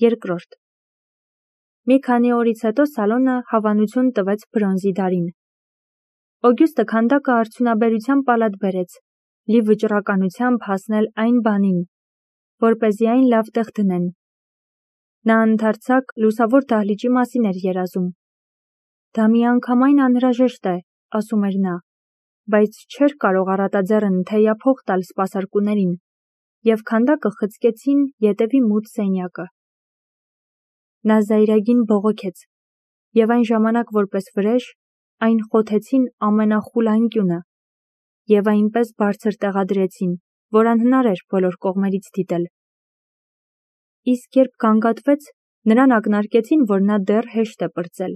Երկրորդ։ Մի քանի օրից հետո սալոնը հավանություն տվեց բրոնզի դարին։ Օգյուստը քանդակը արդյունաբերության պալատ բերեց, լի վճռականությամբ հասնել այն բանին, որպեսզի այն լավ տեղ դնեն։ Նա ընդարձակ լուսավոր դահլիճի մասին էր երազում։ Դա միանգամայն անհրաժեշտ է, ասում էր նա, բայց չէր կարող առատաձեռն թեյափող տալ սպասարկուներին, և քանդակը խցկեցին ետևի մութ սենյակը։ Նա զայրագին բողոքեց, և այն ժամանակ որպես վրեժ, այն խոթեցին ամենախուլ անկյունը, և այնպես բարձր տեղադրեցին, որ անհնար էր բոլոր կողմերից դիտել։ Իսկ երբ գանգատվեց, նրան ակնարկեցին, որ նա դեռ հեշտ է պրծել։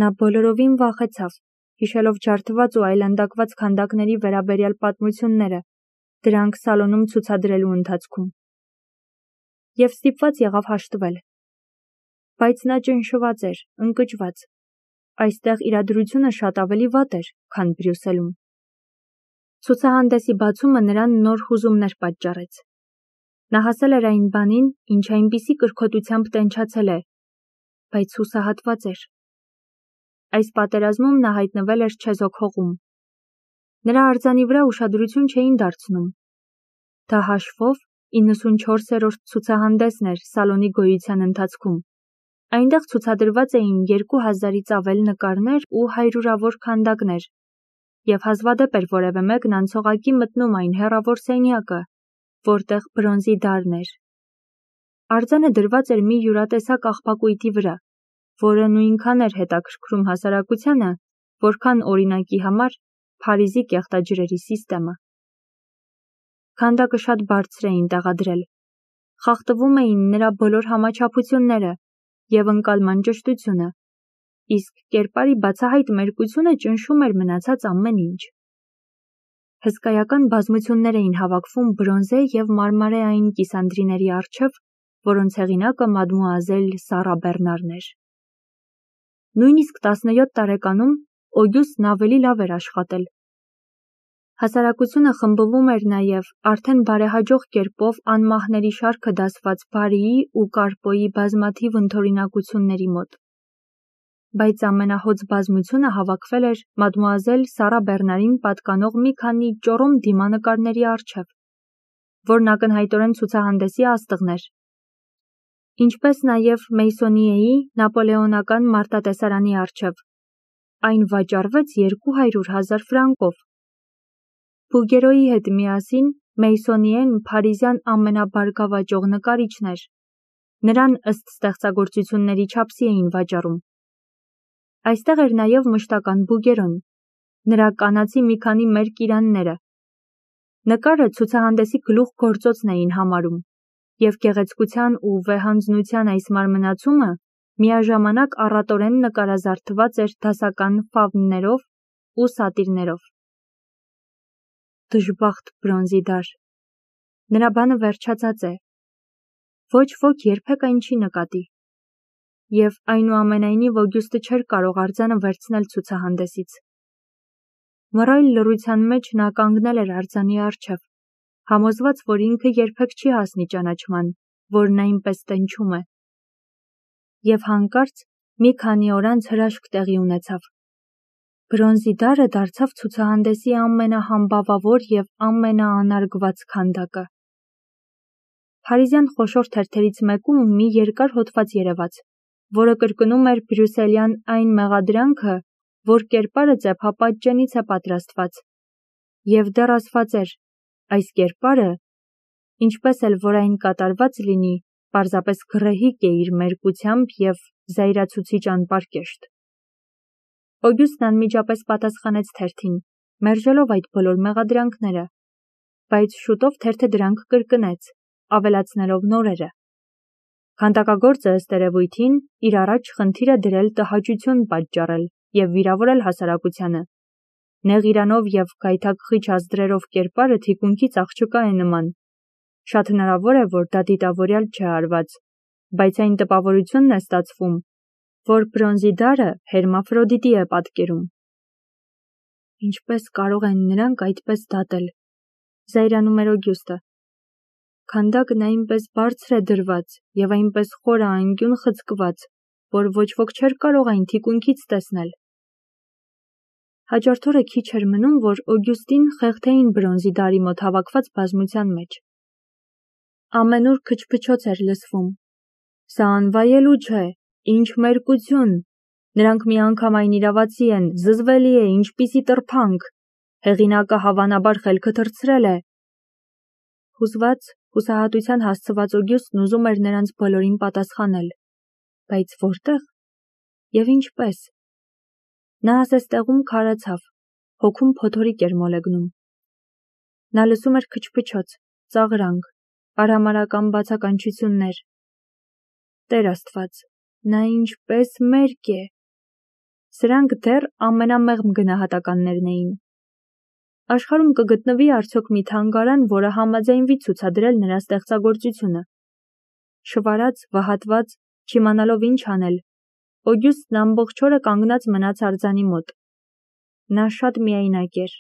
Նա բոլորովին վախեցավ, հիշելով ջարդված ու այլանդակված քանդակների վերաբերյալ պատմությունները, դրանք սալոնում ցուցադրելու ընթացքում։ Եվ ստիպված եղավ հաշտվել։ Բայց նա ճնշված էր, ընկճված։ Այստեղ իրադրությունը շատ ավելի վատ էր, քան Բրյուսելում։ Ցուցահանդեսի բացումը նրան նոր հուզումներ պատճառեց։ Նա հասել էր այն բանին, ինչ այնպիսի կրքոտությամբ տենչացել է, բայց հուսահատված էր։ Այս պատերազմում նա հայտնվել էր չեզոք հողում։ Նրա արձանի վրա ուշադրություն չէին դարձնում։ Դա հաշվով 94-րդ ցուցահանդեսն էր սալոնի գոյության ընթացքում։ Այնտեղ ցուցադրված էին 2000-ից ավել նկարներ ու հարյուրավոր քանդակներ, և հազվադեպ էր որևէ մեկն անցողակի մտնում այն հեռավոր սենյակը, որտեղ բրոնզի դարն էր։ Արձանը դրված էր մի յուրատեսակ աղբակույտի վրա, որը նույնքան էր հետաքրքրում հասարակությանը, որքան օրինակի համար Փարիզի կեղտաջրերի սիստեմը։ Քանդակը շատ բարձր էին տեղադրել։ Խախտվում էին նրա բոլոր համաչափությունները և ընկալման ճշտությունը, իսկ կերպարի բացահայտ մերկությունը ճնշում էր մնացած ամեն ինչ։ Հսկայական բազմություններ էին հավաքվում բրոնզե և մարմարեային կիսանդրիների առջև, որոնց հեղինակը մադմուազել Սառա Բեռնարն էր։ Նույնիսկ 17 տարեկանում Օգյուստն ավելի լավ էր աշխատել։ Հասարակությունը խմբվում էր նաև արդեն բարեհաջող կերպով անմահների շարքը դասված Բարիի ու Կարպոյի բազմաթիվ ընդօրինակությունների մոտ։ Բայց ամենահոծ բազմությունը հավաքվել էր մադմուազել Սառա Բեռնարին պատկանող մի քանի ճոռոմ դիմանկարների առջև, որն ակնհայտորեն ցուցահանդեսի աստղն էր, ինչպես նաև Մեյսոնիեի նապոլեոնական մարտատեսարանի առջև։ Այն վաճառվեց 200,000 ֆրանկով։ Բուգերոյի հետ միասին Մեյսոնիեն փարիզյան ամենաբարգավաճող նկարիչն էր։ Նրան ըստ ստեղծագործությունների չափսի էին վաճառում։ Այստեղ էր նաև մշտական Բուգերոն, նրա կանացի մի քանի մերկ իրանները։ Նկարը ցուցահանդեսի գլուխգործոցն էին համարում, և գեղեցկության ու վեհանձնության այս մարմնացումը միաժամանակ առատորեն նկարազարդված էր դասական ֆավններով ու սատիրներով։ Դժբախտ բրոնզի դար։ Նրա բանը վերջացած է։ Ոչ ոք երբեք այն չի նկատի։ Եվ այնուամենայնիվ Օգյուստը չէր կարող արձանը վերցնել ցուցահանդեսից։ Մռայլ լռության մեջ նա կանգնել էր արձանի առջև, համոզված, որ ինքը երբեք չի հասնի ճանաչման, որն այնպես տենչում է։ Եվ հանկարծ մի քանի օր անց հրաշք տեղի ունեցավ։ Բրոնզի դարը դարձավ ցուցահանդեսի ամենահամբավավոր և ամենաանարգված քանդակը։ Փարիզյան խոշոր թերթերից մեկում մի երկար հոդված երևաց, որը կրկնում էր բրյուսելյան այն մեղադրանքը, որ կերպարը ծեփապատճենից է պատրաստված, և դեռ ասված էր. այս կերպարը, ինչպես էլ որ այն կատարված լինի, պարզապես գռեհիկ է իր մերկությամբ և զայրացուցիչ անպարկեշտ։ Օգյուստն անմիջապես պատասխանեց թերթին, մերժելով այդ բոլոր մեղադրանքները, բայց շուտով թերթը դրանք կրկնեց, ավելացնելով նորերը։ Քանդակագործը ըստ երևույթին իր առաջ խնդիր է դրել տհաճություն պատճառել և վիրավորել հասարակությանը։ Նեղ իրանով և գայթակղիչ ազդրերով կերպարը թիկունքից աղջկա է նման։ Շատ հնարավոր է, որ դա դիտավորյալ չէ արված, բայց այն տպավորությունն է ստացվում, որ բրոնզի դարը Հերմաֆրոդիտի է պատկերում։ Ինչպես կարող են նրանք այդպես դատել, զայրանում էր Օգյուստը։ Քանդակն այնպես բարձր է դրված և այնպես խորը անկյուն խցկված, որ ոչ ոք չէր կարող այն թիկունքից տեսնել։ Հաջորդ օրը քիչ էր մնում, որ Օգյուստին խեղդեին բրոնզի դարի մոտ հավաքված բազմության մեջ։ Ամենուր քչփչոց էր լսվում. «Սա անվայելու չէ, ինչ մերկություն, նրանք միանգամայն իրավացի են, զզվելի է, ինչպիսի տրփանք, հեղինակը հավանաբար խելքը թռցրել է»։ Հուզված, հուսահատության հասցված Օգյուստն ուզում էր նրանց բոլորին պատասխանել, բայց որտեղ և ինչպես։ Նա ասես տեղում քարացավ, հոգում փոթորիկ էր մոլեգնում։ Նա լսում էր քչփչոց, ծաղրանք, արհամարհական բացականչություններ։ Տեր Աստված, նա ինչպես մերկ է։ Սրանք դեռ ամենամեղմ գնահատականներն էին։ Աշխարհում կգտնվի արդյոք մի թանգարան, որը համաձայնվի ցուցադրել նրա ստեղծագործությունը։ Շվարած, վհատված, չիմանալով ինչ անել, Օգյուստն ամբողջ օրը կանգնած մնաց արձանի մոտ։ Նա շատ միայնակ էր,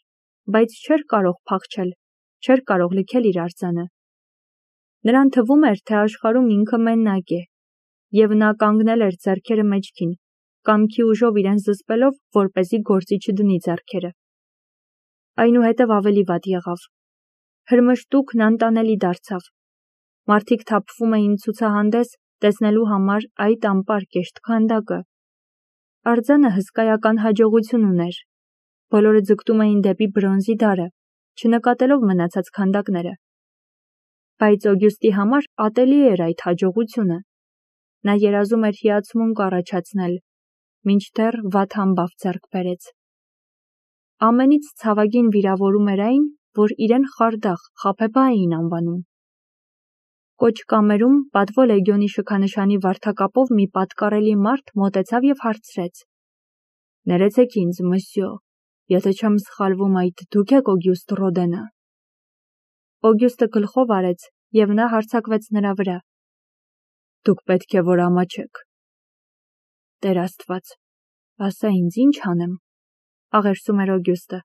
բայց չէր կարող փախչել, չէր կարող լքել իր արձանը։ Նրան թվում էր, թե աշխարհում ինքը մենակ է, և նա կանգնել էր ձեռքերը մեջքին, կամքի ուժով իրեն զսպելով, որպեսզի գործի չդնի ձեռքերը։ Այնուհետև ավելի վատ եղավ։ Հրմշտուկն անտանելի դարձավ։ Մարդիկ թափվում էին ցուցահանդես, տեսնելու համար այդ անպարկեշտ քանդակը։ Արձանը հսկայական հաջողություն ուներ։ Բոլորը ձգտում էին դեպի բրոնզի դարը, չնկատելով մնացած քանդակները։ Բայց Օգյուստի համար ատելի էր այդ հաջողությունը։ Նա երազում էր հիացմունք առաջացնել, մինչդեռ վատ համբավ ձեռք բերեց։ Ամենից ցավագին վիրավորում էր այն, որ իրեն խարդախ, խաբեբա էին անվանում։ Կոճկամերում պատվո լեգիոնի շքանշանի վարդակապով մի պատկառելի մարդ մոտեցավ և հարցրեց. «Ներեցեք ինձ, մսյո, եթե չեմ սխալվում, այդ դուք եք Օգյուստ Ռոդենը»։ Օգյուստը գլխով արեց, և նա հարձակվեց նրա վրա։ «Դուք պետք է որ ամաչեք»։ Տեր Աստված, ասա ինձ ինչ անեմ, աղերսում էր Օգյուստը։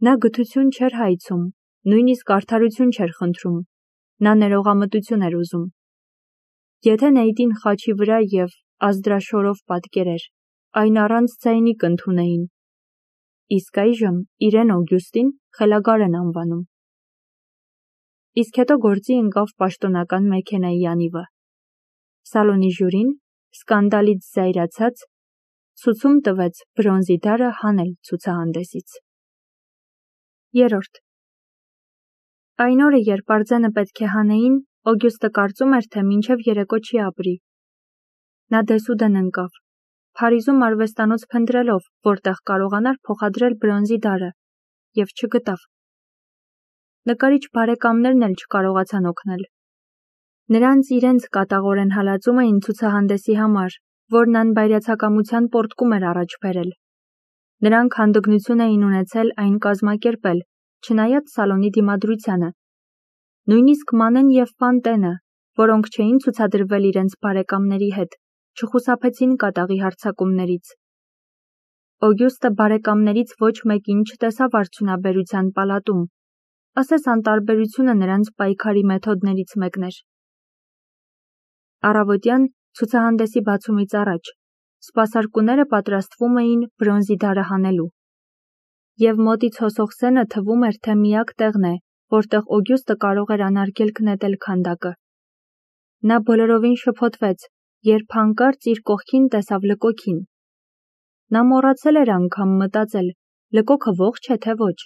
Նա գթություն չէր հայցում, նույնիսկ արդարություն չէր խնդրում, նա ներողամտություն էր ուզում։ Եթե Նեյտին խաչի վրա և ազդրաշորով պատկերեր, այն առանց ձայնի կընդունեին։ Իսկ այժմ իրեն Օգյուստին խելագար են անվանում։ Իսկ հետո գործի ընկավ պաշտոնական մեքենայի անիվը։ Սալոնի ժյուրին, սկանդալից զայրացած, ցուցում տվեց բրոնզի դարը հանել ցուցահանդեսից։ 3. Այն օրը, երբ արձանը պետք է հանեին, Օգյուստը կարծում էր, թե մինչև երեկո չի ապրի։ Նա դեսուդեն ընկավ, Փարիզում արվեստանոց փնտրելով, որտեղ կարողանար փոխադրել բրոնզի դարը, և չգտավ։ Նկարիչ բարեկամներն էլ չկարողացան օգնել։ Նրանց իրենց կատաղորեն հալածում էին ցուցահանդեսի համար, որն անբայրացակամության պոռթկում էր առաջ բերել։ Նրանք հանդգնություն էին ունեցել այն կազմակերպել, չնայած Սալոնի դիմադրությանը։ Նույնիսկ Մանեն և Ֆանտենը, որոնք չէին ցուցադրվել իրենց բարեկամների հետ, չխուսափեցին կատաղի հարձակումներից։ Օգյուստը բարեկամներից ոչ մեկին չտեսավ արդյունաբերության պալատում, ասես անտարբերությունը նրանց պայքարի մեթոդներից մեկն էր։ Առավոտյան, ցուցահանդեսի բացումից առաջ, սպասարկուները պատրաստվում էին բրոնզի դարը հանելու։ Եվ մոտից հոսող սենը թվում էր, թե միակ տեղն է, որտեղ Օգյուստը կարող էր անարգելք նետել քանդակը։ Նա բոլորովին շփոթվեց, երբ հանկարծ իր կողքին տեսավ Լկոքին։ Նա մոռացել էր անգամ մտածել, Լկոքը ողջ է թե ոչ։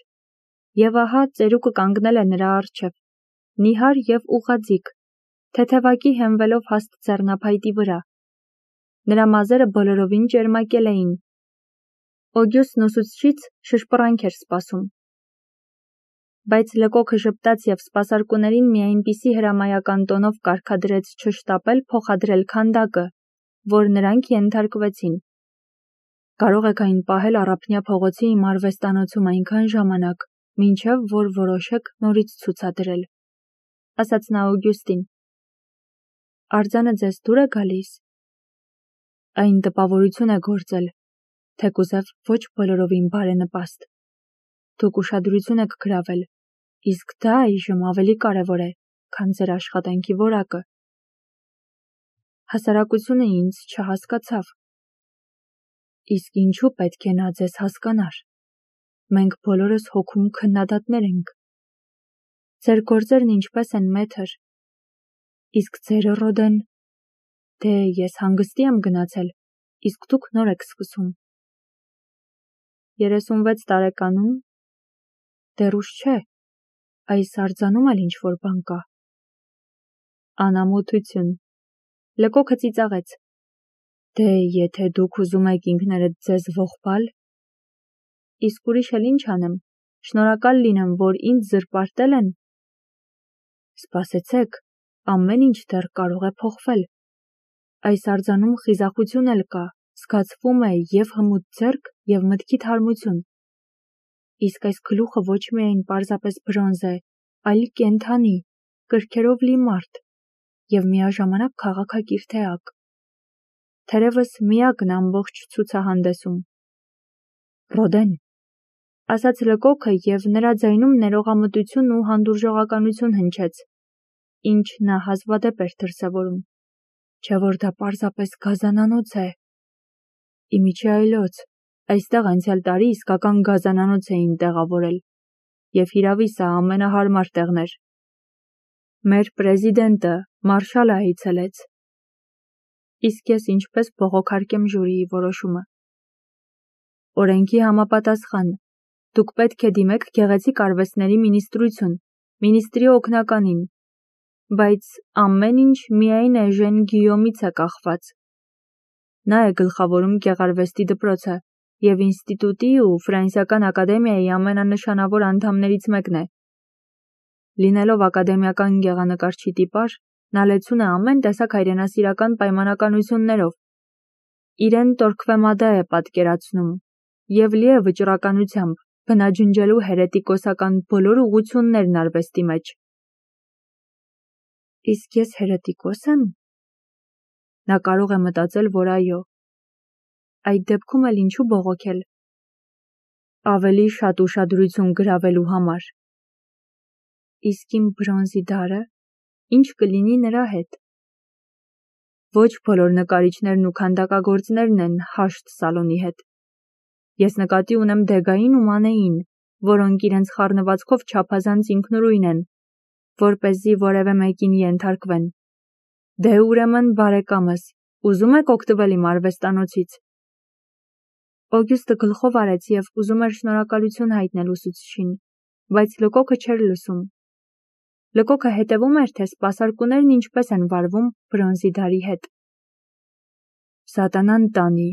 Եվ ահա ծերուկը կանգնել է նրա առջև, նիհար և ուղղաձիգ, թեթևակի հենվելով հաստ ձեռնափայտի վրա։ Նրա մազերը բոլորովին ճերմակել էին։ Օգյուստն ուսուցչից շշպռանք էր սպասում։ Բայց Լկոքը ժպտաց և սպասարկուներին մի այնպիսի հրամայական տոնով կարգադրեց չշտապել փոխադրել քանդակը, որ նրանք ենթարկվեցին։ Կարող եք այն պահել Առափնյա փողոցի իմ արվեստանոցում այնքան ժամանակ, մինչև որ որոշեք նորից ցուցադրել, ասաց նա Օգյուստին։ Արձանը ձեզ դուր է գալիս։ Այն տպավորություն է գործել, թեկուզև ոչ բոլորովին բարենպաստ։ Դուք ուշադրություն եք գրավել, Իսկ դա այժմ ավելի կարևոր է, քան ձեր աշխատանքի որակը։ Հասարակությունը ինձ չհասկացավ։ Իսկ ինչու պետք է նա ձեզ հասկանար։ Մենք բոլորս հոգում քննադատներ ենք։ Ձեր գործերն ինչպես են, մեթր։ Իսկ ձերը, Ռոդեն։ Դե ես հանգստի եմ գնացել, իսկ դուք նոր եք սկսում։ 36 տարեկանում։ Դեռ ուշ չէ, այս արձանում էլ ինչ-որ բան կա։ Անամոթություն։ Լկոքը ծիծաղեց։ Դե եթե դուք ուզում եք ինքներդ ձեզ ողբալ, իսկ ուրիշ էլ ինչ անեմ, շնորհակալ լինեմ, որ ինձ զրպարտել են։ Սպասեցեք, ամեն ինչ դեռ կարող է փոխվել։ Այս արձանում խիզախություն էլ կա, զգացվում է և հմուտ ձեռք, և մտքի թարմություն։ Իսկ այս գլուխը ոչ միայն պարզապես բրոնզ է, այլ կենդանի, կրքերով լի մարդ, և միաժամանակ քաղաքակիրթ էակ։ Թերևս միակն ամբողջ ցուցահանդեսում։ Ռոդեն, ասաց Լկոքը և նրա ձայնում ներողամտություն ու հանդուրժողականություն հնչեց, ինչ նա հազվադեպ էր դրսևորում, չէ որ դա պարզապես գազանանոց է։ Իմիջի այլոց, այստեղ անցյալ տարի իսկական գազանանոց էին տեղավորել, և հիրավի սա ամենահարմար տեղն էր։ Մեր պրեզիդենտը, մարշալը այցելեց։ Իսկ ես ինչպես բողոքարկեմ ժյուրիի որոշումը։ Օրենքի համապատասխան, դուք պետք է դիմեք գեղեցիկ արվեստների մինիստրություն, մինիստրի օգնականին, բայց ամեն ինչ միայն Էժեն Գիյոմից է կախված։ Նա է գլխավորում գեղարվեստի դպրոցը և ինստիտուտի ու Ֆրանսիական ակադեմիայի ամենանշանավոր անդամներից մեկն է։ Լինելով ակադեմիական գեղանկարչի տիպար, նա լեցուն է ամեն տեսակ հայրենասիրական պայմանականություններով։ Իրեն Տորքվեմադա է պատկերացնում և լի է վճռականությամբ, բնաջնջելու հերետիկոսական բոլոր ուղղություններն արվեստի մեջ։ Իսկ ես հերետիկոս եմ։ Նա կարող է մտածել, որ այո։ Այդ դեպքում էլ ինչու բողոքել։ Ավելի շատ ուշադրություն գրավելու համար։ Իսկ իմ բրոնզի դարը, ինչ կլինի նրա հետ։ Ոչ բոլոր նկարիչներն ու քանդակագործներն են հաշտ սալոնի հետ։ Ես նկատի ունեմ Դեգային ու Մանեին, որոնք իրենց խառնվածքով չափազանց ինքնուրույն են, որպեսզի որևէ մեկին ենթարկվեն։ Դե ուրեմն, բարեկամս, ուզում եք օգտվել իմ արվեստանոցից։ Օգյուստը գլխով արեց և ուզում էր շնորհակալություն հայտնել ուսուցչին, բայց Լկոքը չէր լսում։ Լկոքը հետևում էր, թե սպասարկուներն ինչպես են վարվում բրոնզի դարի հետ։ Սատանան տանի,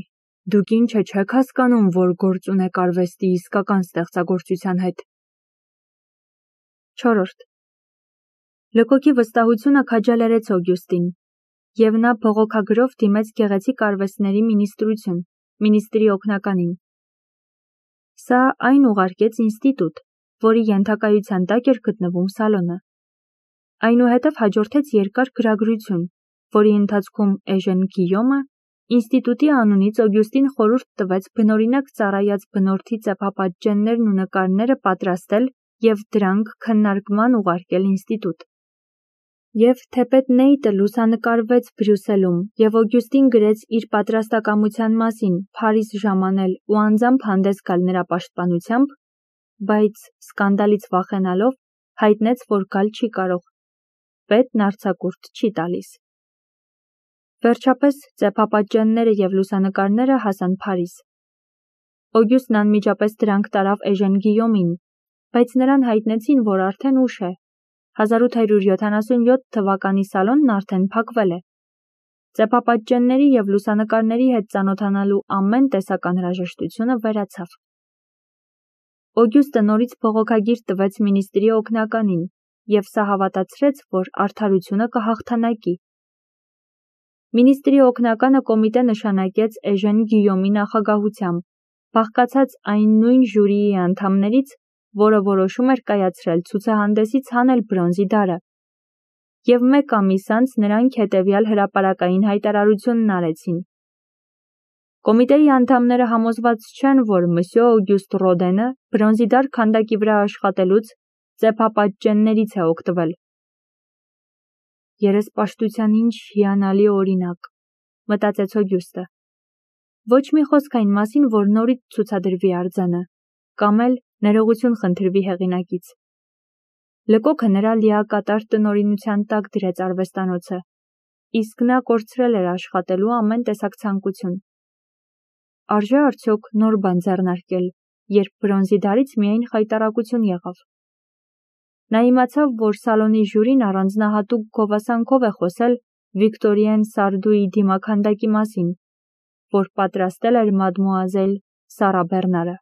դուք ինչ չեք հասկանում, որ գործ ունեք արվեստի իսկական ստեղծագործության հետ։ 4. Լկոքի վստահությունը քաջալերեց Օգյուստին, և նա բողոքագրով դիմեց գեղեցիկ արվեստների մինիստրություն, մինիստրի օգնականին։ Սա այն ուղարկեց ինստիտուտ, որի ենթակայության տակ էր գտնվում սալոնը։ Այնուհետև հաջորդեց երկար գրագրություն, որի ընթացքում Էժեն Գիյոմը ինստիտուտի անունից Օգյուստին խորհուրդ տվեց բնօրինակ ծառայած բնորդի ծեփապատճեններն ու նկարները պատրաստել և դրանք քննարկման ուղարկել ինստիտուտ։ Եվ թեպետ Նեյտը լուսանկարվեց Բրյուսելում, և Օգյուստին գրեց իր պատրաստակամության մասին Փարիզ ժամանել ու անձամբ հանդես գալ նրա պաշտպանությամբ, բայց սկանդալից վախենալով հայտնեց, որ գալ չի կարող։ Պետն արձակուրդ չի տալիս։ Վերջապես ծեփապատճենները և լուսանկարները հասան Փարիզ։ Օգյուստն անմիջապես դրանք տարավ Էժեն Գիյոմին, բայց նրան հայտնեցին, որ արդեն ուշ է։ 1877 թվականի սալոնն արդեն փակվել է։ Ծեփապատճենների և լուսանկարների հետ ծանոթանալու ամեն տեսակ անհրաժեշտությունը վերացավ։ Օգյուստը նորից բողոքագիր տվեց մինիստրի օգնականին, և սա հավատացրեց, որ արդարությունը կհաղթանակի։ Մինիստրի օգնականը կոմիտե նշանակեց Էժեն Գիյոմի նախագահությամբ, բաղկացած այն նույն ժյուրիի անդամներից, որը որոշում էր կայացրել ցուցահանդեսից հանել բրոնզի դարը։ Եվ մեկ ամիս անց նրանք հետևյալ հրապարակային հայտարարությունն արեցին. Կոմիտեի անդամները համոզված չեն, որ մսյո Օգյուստ Ռոդենը բրոնզի դար քանդակի վրա աշխատելուց ծեփապատճեններից է օգտվել։ Երեսպաշտության ինչ հիանալի օրինակ, մտածեց Օգյուստը։ Ոչ մի խոսք այն մասին, որ նորից ցուցադրվի արձանը, կամ էլ ներողություն խնդրվի հեղինակից։ Լկոքը նրա լիակատար տնօրինության տակ դրեց արվեստանոցը, իսկ նա կորցրել էր աշխատելու ամեն տեսակ ցանկություն։ Արժե արդյոք նոր բան ձեռնարկել, երբ բրոնզի դարից միայն խայտառակություն եղավ։ Նա իմացավ, որ սալոնի ժյուրին առանձնահատուկ գովասանքով է խոսել Վիկտորիեն Սարդուի դիմաքանդակի մասին, որ պատրաստել էր մադմուազել Սարա Բեռնարը։